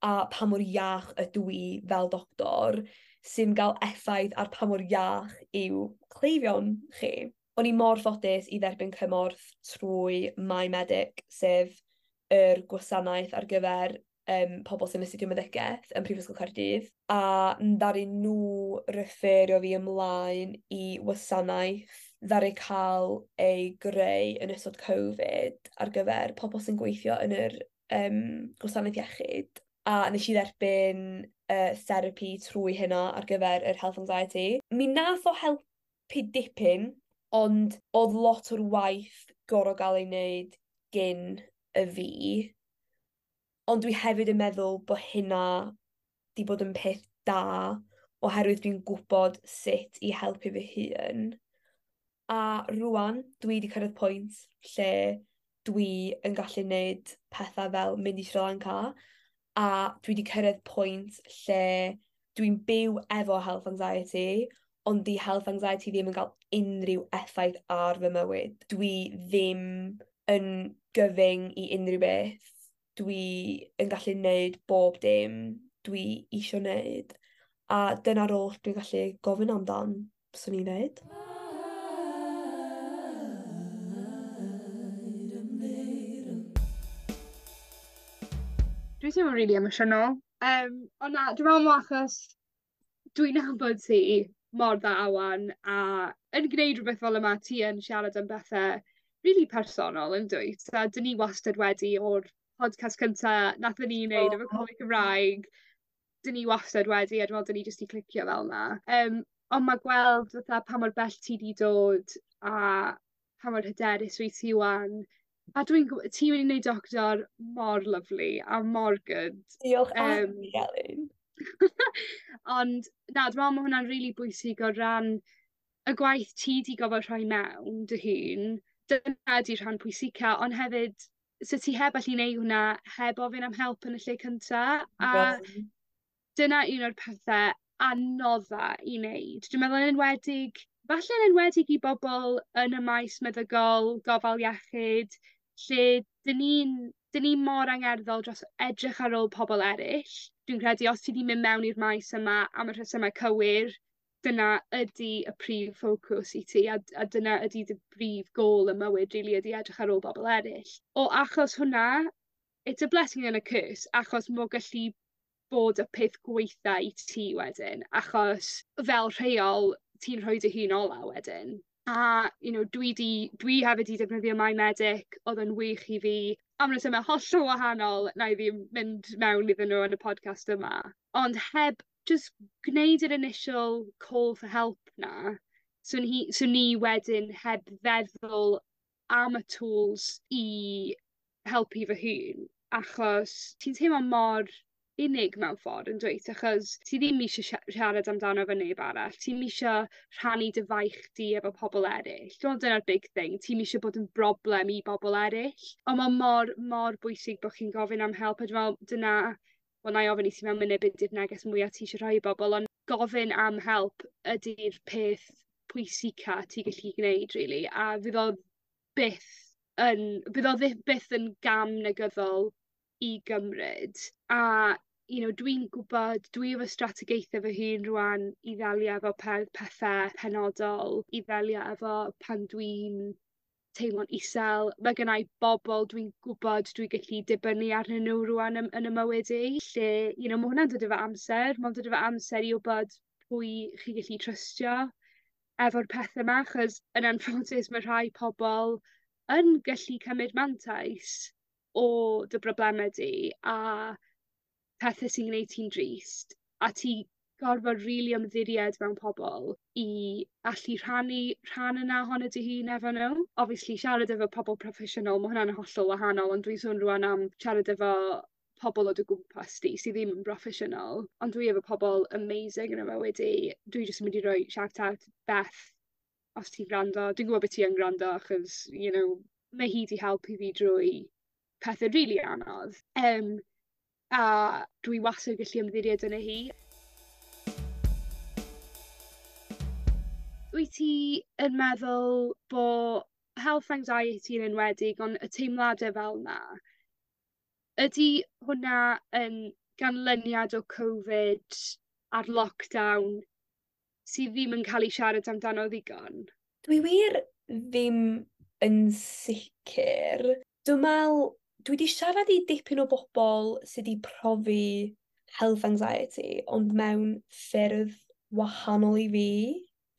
S2: a pa mor iach ydw i fel doctor sy'n ga'l effaith ar pa mor iach yw cleifion chi. O'n i mor ffodus i dderbyn cymorth trwy My Medic, sef yr gwasanaeth ar gyfer pobl sy'n astudio meddygeth yn Prifysgol Caerdydd. A ddaru nhw referio fi ymlaen i wasanaeth ddaru ca'l ei greu yn ystod Covid ar gyfer pobl sy'n gweithio yn yr gwasanaeth iechyd. A nes i dderbyn therapi trwy hynna ar gyfer yr health anxiety. Mi nath o helpu dipyn, ond o'dd lot o'r waith gor'o' ga'l ei neud gyn y fi. Ond dwi hefyd yn meddwl bo' hynna 'di bod yn peth da oherwydd dwi'n gwbod sut i helpu fy hun. A rŵan dwi 'di cyrraedd pwynt lle dwi yn gallu neud petha fel mynd i Sri Lanka a dwi 'di cyrraedd pwynt lle dwi'n byw efo health anxiety ond 'di health anxiety ddim yn ga'l unryw effaith ar fy mywyd. Dwi ddim yn gyfyng i unryw beth. Dwi yn gallu neud bob dim dwi isio neud. A dyna'r oll dwi'n gallu gofyn amdan, swn i'n ddeud.
S1: Dwi'n teimlo rili emosiynol. On' na dwi me'wl ma' achos dwi'n nabod ti mor dda 'wan a yn gneud rwbeth fel yma ti yn siarad am bethe rili personol yndwyt? A 'dyn ni wastad wedi o'r podcast cynta nathon ni neud efo Coleg Cymraeg 'dyn ni wastad wedi a dwi me'wl 'dyn ni jyst 'di clicio fel 'na. On' ma' gweld fatha pa mor bell ti 'di dod a pa mor hyderus wyt ti 'wan. A dwi'n ti'n myn' i neud doctor mor lyfli a mor good.
S2: Diolch a ti Elin.
S1: Ond na dwi me'wl ma' hwnna'n rili bwysig o ran y gwaith ti 'di gofod rhoi mewn dy hun, dyna 'di rhan pwysica on' hefyd se ti heb allu neu' hwnna heb ofyn am help yn y lle cynta a dyna un o'r pethe anodda i neud. Dwi meddwl yn enwedig falle'n enwedig i bobol yn y maes meddygol, gofal iechyd, lle 'dyn ni'n 'dyn ni mor angerddol dros edrych ar ôl pobol eryll. Dwi'n credu os ti 'di myn' mewn i'r maes yma am y rhesyme cywir, dyna ydi y prif focws i ti a dyna ydi dy brif gôl ym mywyd rili ydi edrych ar ôl bobol eryll. O achos hwnna it's a blessing an' a curse achos m'o gallu bod y peth gweitha i ti wedyn achos fel rheol ti'n rhoi dy hun ola wedyn. A you know dwi 'di dwi hefyd 'di defnyddio My Medic o'dd yn wych i fi am resyme hollol wahanol 'nai ddim mynd mewn iddyn n'w yn y podcast yma. Ond heb jys gneud yr initial call for help 'na swn hi swn i wedyn heb feddwl am y tools i helpu fy hun achos ti'n teimlo mor unig mewn ffor yndwyt achos ti ddim isio siarad amdano efo neb arall ti'm isio rhannu dy faich di efo pobol eryll. Dwi me'wl dyna'r big thing ti'm isio bod yn broblem i bobol eryll. On' ma' mor mor bwysig bo' chi'n gofyn am help a dwi me'wl dyna wel 'nai ofyn i ti mewn munud be' 'di'r neges mwya ti isio rhoi i bobol on' gofyn am help ydi'r peth pwysica ti gallu gneud rili a fydd o byth yn bydd o fyth byth yn gam negyddol i gymryd a you know dwi'n gwbod dwi efo strategaethe fy hun rŵan i ddelio efo pethe penodol i ddelio efo pan dwi'n teimlo'n isel. Ma' gynnai bobol dwi'n gwbod dwi gallu dibynnu arnyn n'w rŵan yn 'ym mywyd i lle you know ma' hwnna'n dod efo amser ma'n dod efo amser i wbod pwy chi gallu trystio efo'r pethe 'ma achos yn anffodus ma' rhai pobol yn gallu cymryd mantais o dy brobleme di a pethe sy'n gneud ti'n drist a ti gorfod rili ymddiried mewn pobol i allu rhannu rhan yna ohono dy hun efo n'w. Obviously siarad efo pobol proffesiynol ma' hwnna'n hollol wahanol ond dwi'n sôn rŵan am siarad efo pobol o dy gwmpas di sy ddim yn broffesiynol ond dwi efo pobol amazing yn 'ym mywyd i. Dwi jys yn mynd i roi shout out Beth os ti'n gwrando dwi'n gwbo bo' ti yn gwrando achos you know mae hi 'di helpu fi drwy pethe rili anodd a dwi wastad gallu ymddiried yno hi. Wyt ti yn meddwl bo' health anxiety yn enwedig on' y teimlade fel 'na ydi hwnna yn ganlyniad o Covid a'r lockdown sy ddim yn ca'l 'i siarad amdano ddigon?
S2: Dwi wir ddim yn sicir. Dwi me'wl dwi 'di siarad i dipyn o bobol sy 'di profi health anxiety ond mewn ffyrdd wahanol i fi.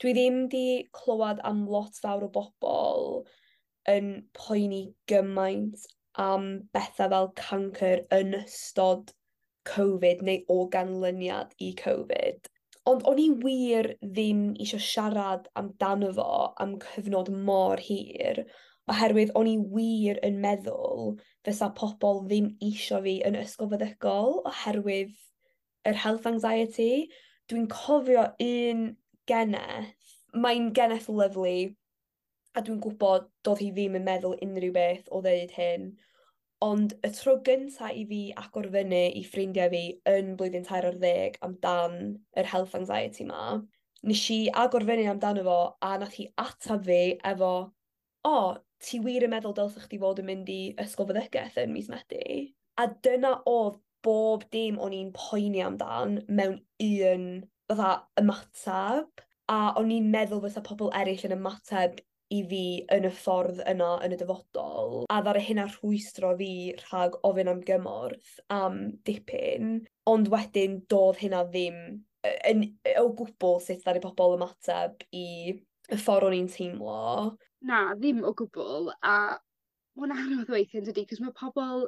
S2: Dwi ddim 'di clywad am lot fawr o bobol yn poeni gymaint am betha fel cancer yn ystod Covid neu o ganlyniad i Covid. Ond o'n i wir ddim isio siarad amdano fo am cyfnod mor hir oherwydd o'n i wir yn meddwl fysa pobol ddim isio fi yn ysgol feddygol oherwydd yr health anxiety. Dwi'n cofio un geneth, mae'n geneth lyfli, a dwi'n gwybod do'dd hi ddim yn meddwl unrhyw beth o ddeud hyn, ond y tro gynta i fi agor fyny i ffrindiau fi yn blwyddyn 13 amdan yr health anxiety 'ma, nesh i agor fyny amdano fo a nath hi atab fi efo o, ti wir yn meddwl dylsech chdi fod yn mynd i ysgol feddygeth yn mis Medi? A dyna o'dd bob dim o'n i'n poeni amdan mewn un fatha ymatab, a o'n i'n meddwl fysa pobol eryll yn ymateb i fi yn y ffordd yna yn y dyfodol a ddaru hynna rhwystro fi rhag ofyn am gymorth am dipyn ond wedyn do'dd hynna ddim yn o gwbwl sut ddaru pobol ymateb i y ffor o'n i'n teimlo.
S1: Na, ddim o gwbwl a ma' o'n anodd weithie yndydi 'cos ma' pobol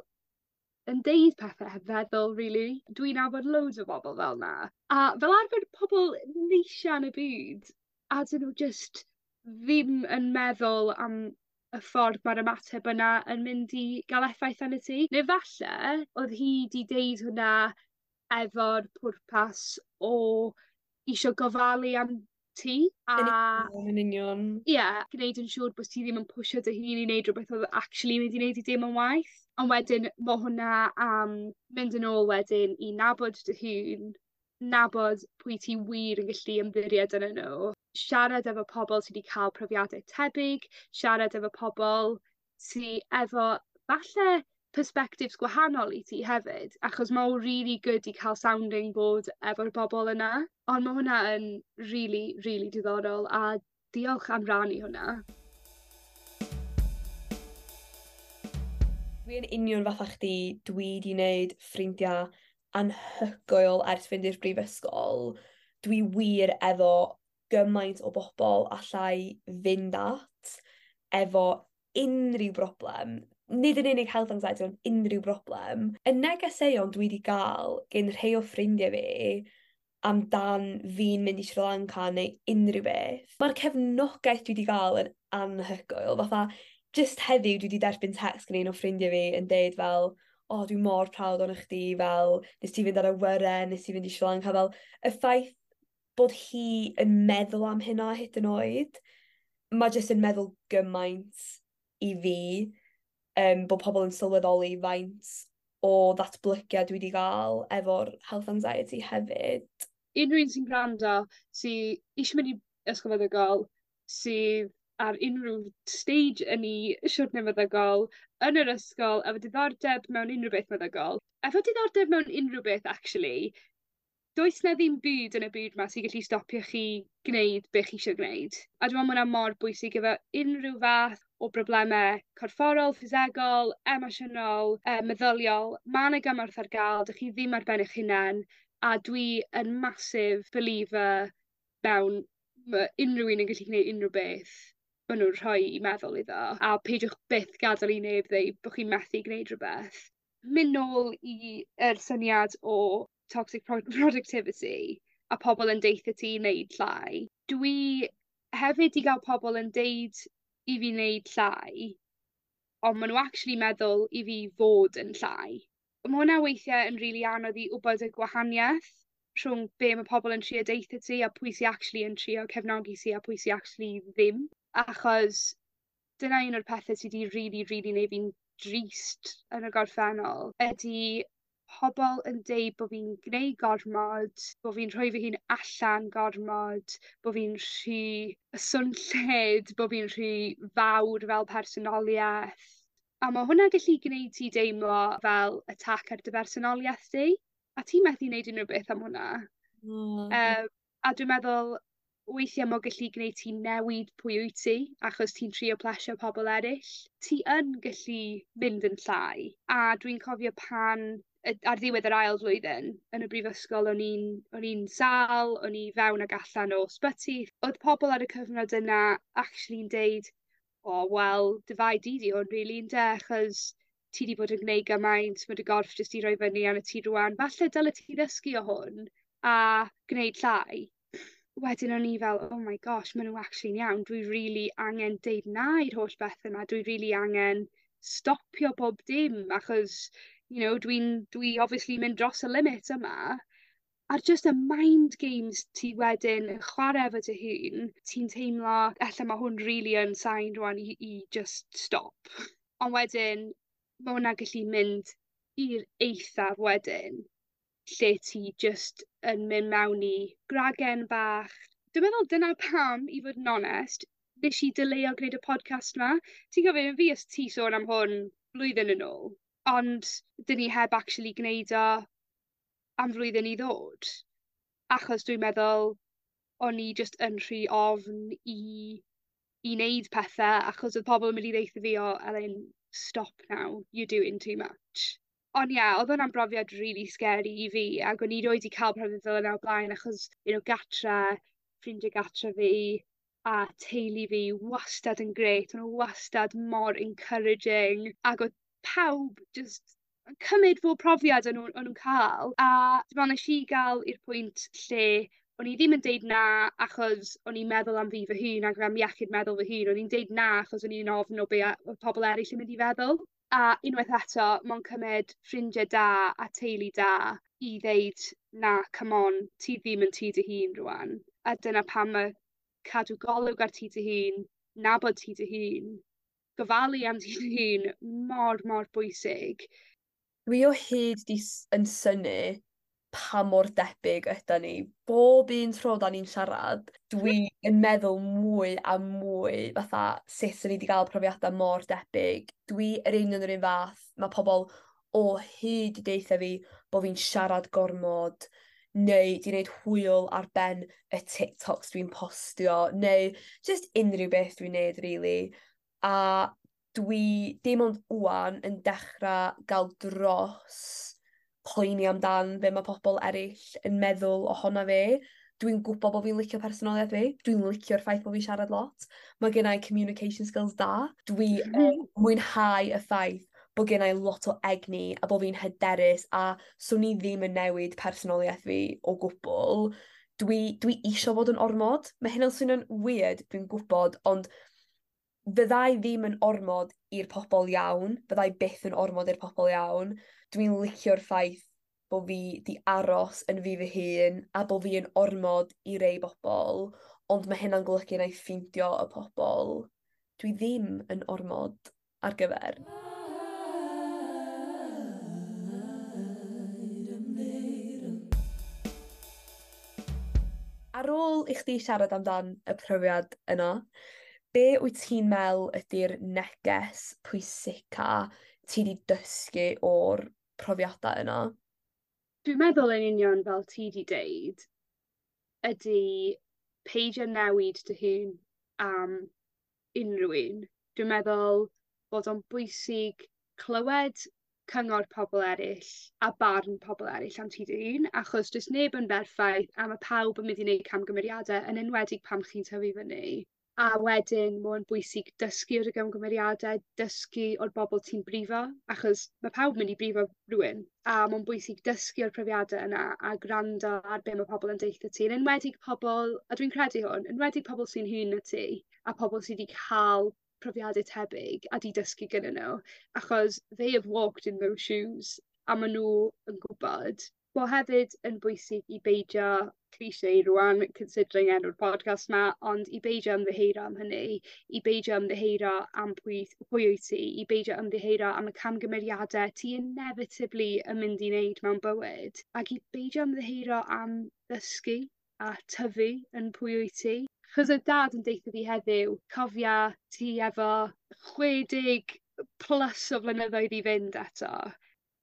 S1: yn deud pethe heb feddwl rili. Dwi'n nabod loads o bobol fel 'na. A fel arfer pobol neisia yn y byd a 'dyn n'w jyst ddim yn meddwl am y ffordd ma'r ymateb yna yn mynd i ga'l effaith arnat ti. Ne' falle o'dd hi 'di deud hwnna efo'r pwrpas o isio gofalu am ti a...
S2: Yn union yn union.
S1: Ie gneud yn siŵr bo' ti ddim yn pwsio dy hun i neud rwbeth o'dd actually mynd i neud ti deimlo'n waeth. On' wedyn ma' hwnna am mynd yn ôl wedyn i nabod dy hun, nabod pwy ti wir yn gallu ymddiried ynnyn n'w, siarad efo pobol sy 'di ca'l profiade tebyg, siarad efo pobol sy efo falle persbectives gwahanol i ti hefyd achos ma' o rili good i ca'l sounding board efo'r bobol yna. On' ma' hwnna yn rili rili diddorol a diolch am rannu hwnna.
S2: Dwi yn union fatha chdi, dwi 'di neud ffrindia anhygoel ers fynd i'r brifysgol. Dwi wir efo gymaint o bobol allai fynd at efo unryw broblem. Nid yn unig health anxiety ond unryw broblem. Y negeseuon dwi 'di ga'l gin rhei o ffrindie fi amdan fi'n mynd i Sri Lanka neu unryw beth. Ma'r cefnogaeth dwi 'di ga'l yn anhygoel fatha jyst heddiw dwi 'di derbyn text gan un o ffrindie fi yn deud fel o dwi mor proud ohonoch chdi fel nes ti fynd ar awyren, nes ti fynd i Sri Lanka fel y ffaith bod hi yn meddwl am hynna hyd yn oed, ma' jyst yn meddwl gymaint i fi bod pobl yn sylweddoli faint o ddatblygiad dwi 'di ga'l efo'r health anxiety hefyd.
S1: Unryw un sy'n gwrando sy isio mynd i ysgol feddygol, sydd ar unryw stage yn 'i siwrne meddygol, yn yr ysgol, efo diddordeb mewn unryw beth meddygol, efo diddordeb mewn unryw beth actually, does 'na ddim byd yn y byd 'ma sy gallu stopio chi gneud be' chi isio gneud. A dwi me'wl ma' wnna mor bwysig efo unryw fath o brobleme corfforol, ffisegol, emosiynol, meddyliol, ma' 'na gymorth ar ga'l, 'dych chi ddim ar ben 'ych hunen, a dwi yn massive believer mewn ma' unryw un yn gallu gneud unryw beth ma' nw'n rhoi 'u meddwl iddo, a peidiwch byth gadel i neb ddeu bo' chi methu gneud rwbeth. Myn' nôl i yr syniad o toxic productivity a pobol yn deutho ti i neud llai. Dwi hefyd 'di ga'l pobol yn deud i fi neud llai, on' ma' n'w actually meddwl i fi fod yn llai. Ma' hwnna weithie yn rili anodd i wbod y gwahanieth rhwng be' ma' pobol yn trio deutho ti a pwy sy actually yn trio cefnogi ti a pwy sy actually ddim. Achos dyna un o'r pethe sy 'di rili rili neud fi'n drist yn y gorffennol ydi pobol yn deud bo' fi'n gneud gormod, bo' fi'n rhoi fy hun allan gormod, bo' fi'n rhy swnllyd, bo' fi'n rhy fawr fel personolieth. A ma' hwnna gallu gneud ti deimlo fel attack ar dy bersonolieth di. A ti methu neud unryw beth am hwnna. A dwi'n meddwl weithie m'o gallu gneud ti newid pwy wyt ti achos ti'n trio plesio pobol eryll. Ti yn gallu mynd yn llai a dwi'n cofio pan ar ddiwedd yr ail flwyddyn yn y brifysgol o'n i'n sâl, o'n i fewn ag allan o sbyty. O'dd pobol ar y cyfnod yna actually'n deud o wel dy fai di 'di hwn rili ynde achos ti 'di bod yn gneud gymaint ma' dy gorff jyst 'di roi fyny arnot ti rŵan. Falle dyle ti ddysgu o hwn a gneud llai. Wedyn o'n i fel oh my gosh ma' n'w actually'n iawn dwi rili angen deud na i'r holl bethe 'ma dwi rili angen stopio bob dim achos you know dwi obviously mynd dros y limit yma. A'r jyst y mind games ti wedyn yn chware efo dy hun, ti'n teimlo elle ma' hwn rili yn sign rŵan i just stop. On' wedyn ma' wnna gallu mynd i'r eithaf wedyn lle ti jyst yn myn' mewn i gragen bach. Dwi meddwl dyna pam i fod yn onest nesh i deleuo gwneud y podcast 'ma. Ti'n cofio fi a ti sôn am hwn blwyddyn yn ôl, ond 'dyn ni heb actually gneud o am flwyddyn i ddod. Achos dwi'n meddwl o'n i jyst yn rhy ofn i neud pethe achos o'dd pobol yn mynd i ddeutho fi o Elin stop now, you're doing too much. On' ie o'dd hwnna'n brofiad rili scary i fi ag o'n i rioed 'di ca'l profiad fel yna o'r blaen achos you know gatre, ffrindie gatre fi a teulu fi wastad yn grêt o'n n'w wastad mor encouraging ag o'dd pawb jyst yn cymyd bob profiad o'n nw'n ca'l a dwi me'wl nesh i ga'l i'r pwynt lle O'n i ddim yn deud na achos o'n i'n meddwl am fi fy hun ag am iechyd meddwl fy hun o'n i'n deud na achos o'n i'n ofn o be' a- o'dd pobol eryll yn mynd i feddwl. A unwaith eto ma' o'n cymyd ffrindie da a teulu da i ddeud na come on ti ddim yn ti dy hun rŵan. A dyna pam ma' cadw golwg ar ti dy hun, nabod ti dy hun, gofalu am ti dy hun mor mor bwysig.
S2: Dwi o hyd 'di yn synnu pa mor debyg ydan ni. Bob un tro 'dan ni'n siarad dwi yn meddwl mwy a mwy fatha sut 'dyn ni 'di ga'l profiada mor debyg. Dwi yr union yr un fath. Ma' pobol o hyd 'di deutha fi bo' fi'n siarad gormod neu 'di neud hwyl ar ben y TikToks dwi'n postio neu jyst unryw beth dwi'n neud rili. A dwi dim ond ŵan yn dechra ga'l dros poeni amdan be' ma' pobol eryll yn meddwl ohona fi. Dwi'n gwbo bo' fi'n licio personoliaeth fi. Dwi'n licio'r ffaith bo' fi'n siarad lot. Ma' gennai communication skills da. Dwi yn mwynhau y ffaith bo' gennai lot o egni a bo' fi'n hyderus a swn i ddim yn newid personoliaeth fi o gwbwl. Dwi isio fod yn ormod. Ma' hynna'n swnio'n weird dwi'n gwbod ond fyddai ddim yn ormod i'r pobol iawn, fyddai byth yn ormod i'r pobol iawn. Dwi'n licio'r ffaith bo' fi 'di aros yn fi fy hun a bo' fi yn ormod i rei bobol, ond ma' hynna'n golygu 'nai ffeindio y pobol dwi ddim yn ormod ar gyfer. Ar ôl i chdi siarad amdan y profiad yna, be wyt ti'n me'wl ydi'r neges pwysica ti 'di dysgu o'r profiada yna?
S1: Dwi'n meddwl yn union fel ti 'di deud ydi peidio newid dy hun am unryw un. Dwi'n meddwl bod o'n bwysig clywed cyngor pobol eryll a barn pobol eryll am ti dy hun achos does neb yn berffaith a ma' pawb yn mynd i neud camgymeriade yn enwedig pan chi'n tyfu fyny. A wedyn ma' o'n bwysig dysgu o'r gamgymeriade, dysgu o'r bobol ti'n brifo, achos ma' pawb mynd i brifo rywun a ma'n bwysig dysgu o'r profiade yna a gwrando ar be' ma' pobol yn deutha ti yn enwedig pobol, a dwi'n credu hwn, enwedig pobol sy'n hŷn na ti a pobol sy 'di ca'l profiade tebyg a 'di dysgu gynnyn n'w achos they have walked in those shoes a ma' n'w yn gwbod. Bo' hefyd yn bwysig i beidio cliché rŵan considering enw'r podcast 'ma ond i beidio ymddiheuro am hynny i beidio ymddiheuro am pwy wyt ti i beidio ymddiheuro am y camgymeriade ti inevitably yn mynd i wneud mewn bywyd ac i beidio ymddiheuro am ddysgu a tyfu yn pwy wyt ti. 'Chos o'dd dad yn deutha fi heddiw cofia ti efo 60 plus o flynyddoedd i fynd eto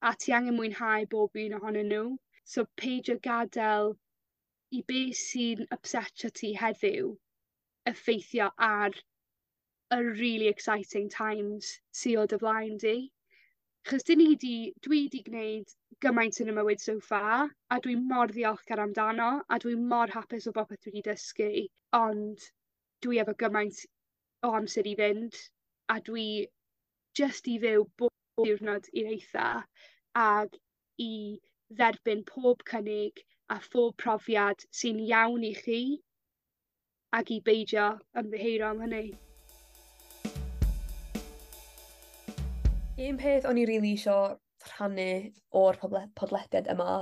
S1: a ti angen mwynhau bob un ohonyn n'w. So peidio gad'el i be' sy'n ypsetio ti heddiw effeithio ar y rili exciting times sy o dy flaen di. 'Chos 'dyn ni 'di dwi 'di gneud gymaint yn 'ym mywyd so far a dwi mor ddiolchgar amdano a dwi mor hapus o bopeth dwi 'di dysgu ond dwi efo gymaint o amser i fynd a dwi jyst i fyw bob diwrnod i'r eitha ag i dderbyn pob cynnig a phob profiad sy'n iawn i chi ag i beidio ymddiheuro am hynny.
S2: Un peth o'n i rili isio rhannu o'r podlediad yma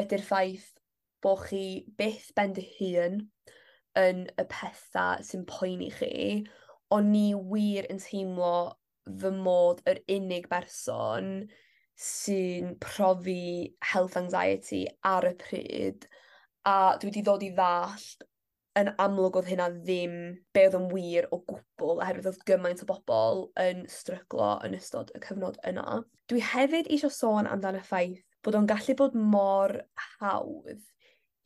S2: ydi'r ffaith bo' chi byth ben dy hun yn y petha sy'n poeni chi. O'n i wir yn teimlo fy mod yr unig berson sy'n profi health anxiety ar y pryd a dwi 'di ddod i ddallt yn amlwg o'dd hynna ddim be' o'dd yn wir o gwbwl oherwydd o'dd gymaint o bobol yn stryglo yn ystod y cyfnod yna. Dwi hefyd isio sôn amdan y ffaith bod o'n gallu bod mor hawdd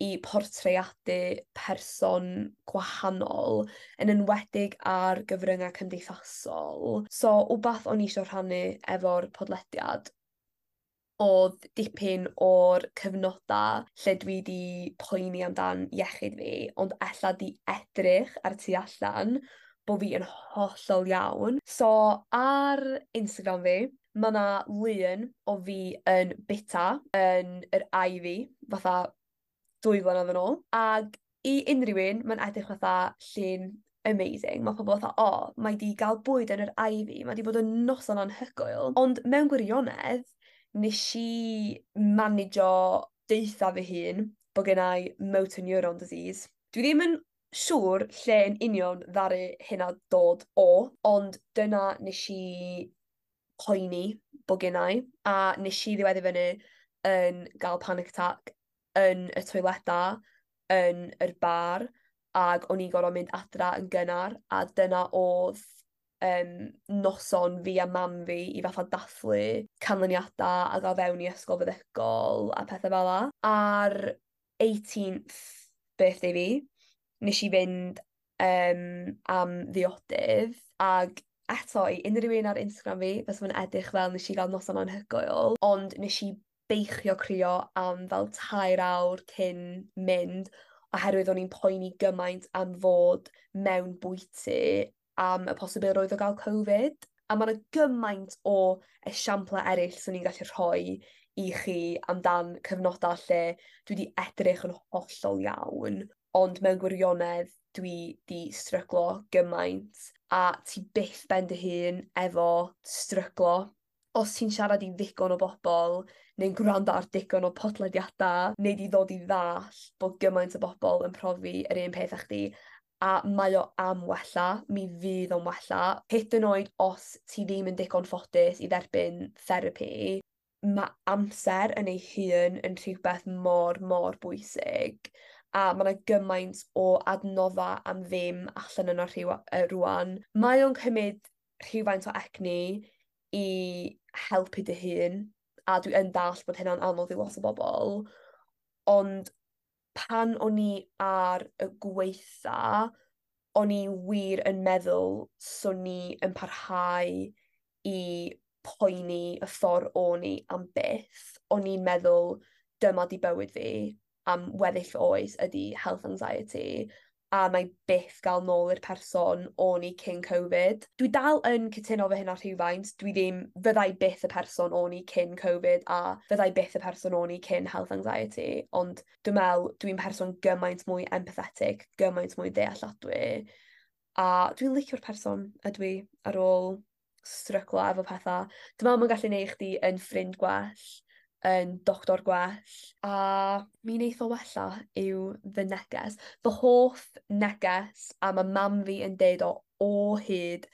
S2: i portreadu person gwahanol yn enwedig ar gyfrynga' cymdeithasol. So wbath o'n i isio rhannu efo'r podlediad o'dd dipyn o'r cyfnoda lle dwi 'di poeni amdan iechyd fi ond ella 'di edrych ar tu allan bo' fi yn hollol iawn. So ar Instagram fi ma' 'na lun o fi yn bita yn yr Ivy fatha 2 flynedd yn ôl. Ag i unrhyw un, mae'n edrych fatha llun amazing. Mae pobl fatha, "O, mae 'di gael bwyd yn yr Ivy, mae 'di bod yn noson anhygoel." Ond mewn gwirionedd, nes i managio deutha fy hun bod gennai motor neuron disease. Dwi ddim yn siŵr lle yn union ddaru hynna dod o, ond dyna nes i poeni bod gennai, a nes i ddiweddu fyny yn gael panic attack yn y toileda yn yr bar, ag o'n i'n gorfod mynd adra yn gynnar, a dyna o'dd noson fi a mam fi i fatha dathlu canlyniada a ga'l fewn i ysgol feddygol a pethe fel 'a. Ar 18th birthday fi, nes i fynd am ddiodydd, ag eto i unrhyw un ar Instagram fi, fysa fo'n edrych fel nes i gael noson anhygoel, ond nes i beichio crio am fel 3 awr cyn mynd, oherwydd o'n i'n poeni gymaint am fod mewn bwyty am y posibilrwydd o gael Covid. A ma' 'na gymaint o esiample eryll swn i'n gallu rhoi i chi amdan cyfnoda lle dwi 'di edrych yn hollol iawn, ond mewn gwirionedd dwi 'di stryglo gymaint, a ti byth ben dy hun efo stryglo. Os ti'n siarad i ddigon o bobol neu'n gwrando ar digon o podlediada, neu 'di ddod i ddall bod gymaint o bobol yn profi yr un peth â chdi, a mae o am wella, mi fydd o'n wella. Hyd yn oed os ti ddim yn digon ffodus i dderbyn therapi, ma' amser yn ei hun yn rhywbeth mor, mor bwysig, a ma' 'na gymaint o adnodda am ddim allan yna rŵan. Mae o'n cymyd rhywfaint o egni i helpu dy hun, a dwi yn dallt bod hynna'n anodd i lot o bobol, ond pan o'n i ar y gweitha, o'n i wir yn meddwl swn i yn parhau i poeni y ffordd o'n i am byth. O'n i'n meddwl dyma 'di bywyd fi am weddill oes ydi health anxiety, a mae byth gael nôl i'r person o'n i cyn Covid. Dwi dal yn cytuno efo hynna rhywfaint, dwi ddim, fyddai byth y person o'n i cyn Covid a fyddai byth y person o'n i cyn health anxiety, ond dwi'n meddwl dwi'n person gymaint mwy empathetic, gymaint mwy dealladwy, a dwi'n licio'r person ydw i ar ôl stryglo efo pethau. Dwi'n meddwl mae'n gallu neud chdi yn ffrind gwell, yn doctor gwell, a mi wneith o wella yw fy neges. Fy hoff neges, a ma' mam fi yn deud o o hyd,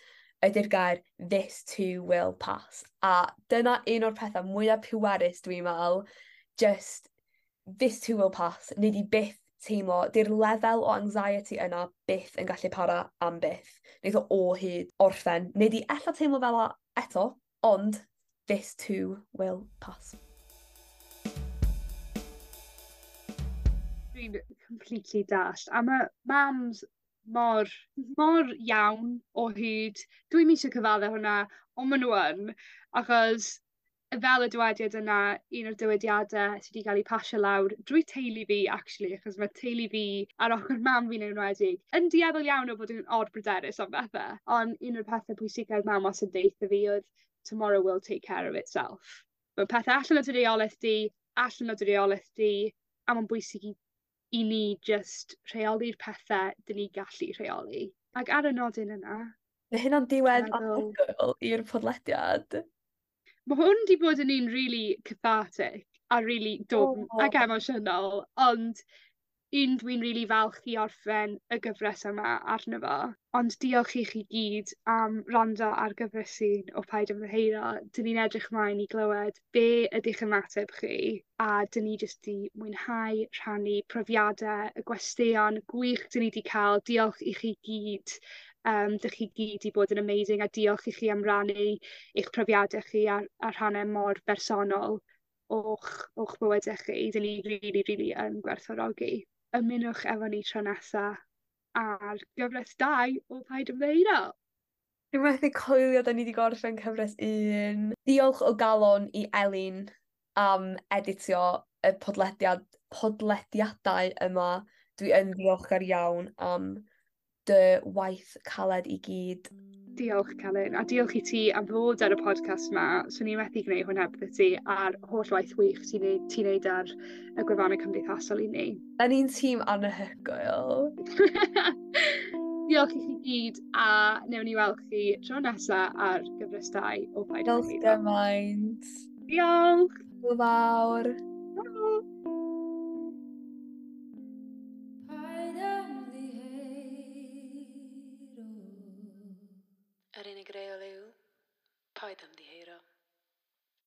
S2: ydy'r gair "this too will pass". A dyna un o'r pethau mwyaf pwerus dwi'n meddwl, just this too will pass. Nei di byth teimlo, 'di'r lefel o anxiety yna byth yn gallu para am byth. Neith o o hyd orffen. Nei di ella teimlo fel 'a eto, ond this too will pass.
S1: Dwi'n completely dallt. A ma' mams mor, mor iawn o hyd. Dwi'm isie cyfadde hwnna, on' ma' n'w yn, achos fel y dywediad yna, un o'r dywediade sy 'di ga'l 'u pasio lawr drwy teulu fi actually, achos ma' teulu fi ar ochor mam fi'n enwedig yn dueddol iawn o fod yn or bryderus am bethe. On' un o'r pethe pwysica o'dd mam wastad yn deutha fi oedd "tomorrow will take care of itself". Ma' pethe allan o dy reoleth di, allan o dy reoleth di, a ma'n bwysig i ni jyst rheoli'r pethe 'dyn ni gallu rheoli. Ac ar y nodyn yna...
S2: Mae hynna'n diwedd anhygoel i'r podlediad.
S1: Ma' hwn 'di bod yn un rili cathartic a rili dwfn ac emosiynol, ond un dwi'n rili falch i orffen y gyfres yma arno fo. Ond diolch i chi gyd am wrando ar gyfres un o Paid Ymddiheuro. 'Dyn ni'n edrych mlaen i glywed be' ydych ymateb chi, a 'dyn ni jyst 'di mwynhau rhannu profiade y gwesteion gwych 'dyn ni 'di ca'l. Diolch i chi gyd. 'Dych chi gyd 'di bod yn amazing, a diolch i chi am rannu eich profiade chi a rhanne mor bersonol o'ch bywyde chi. 'Dyn ni rili, rili yn gwerthfawrogi. Ymunwch efo ni tro nesa ar gyfres 2 o Paid Ymddiheuro.
S2: Dwi'n methu coelio 'dan ni 'di gorffen cyfres 1. Diolch o galon i Elin am editio y podlediadau yma. Dwi yn ddiolchgar iawn am dy waith caled i gyd.
S1: Diolch Celyn, a diolch i ti am fod ar y podcast 'ma. Swn i methu gwneud hwn heb ti a'r holl waith wych ti'n neud, ti neud ar y gwefannau cymdeithasol i ni.
S2: Da ni'n tîm anhygoel.
S1: Diolch i chi gyd a newn ni weld chi tro nesa ar gyfres 2 o Paid
S2: Diolch gymaint.
S1: Diolch!
S2: Hwyl fawr.
S1: Hwyl.
S3: Paid ymddiheuro. Yr unig reol yw, paid ymddiheuro.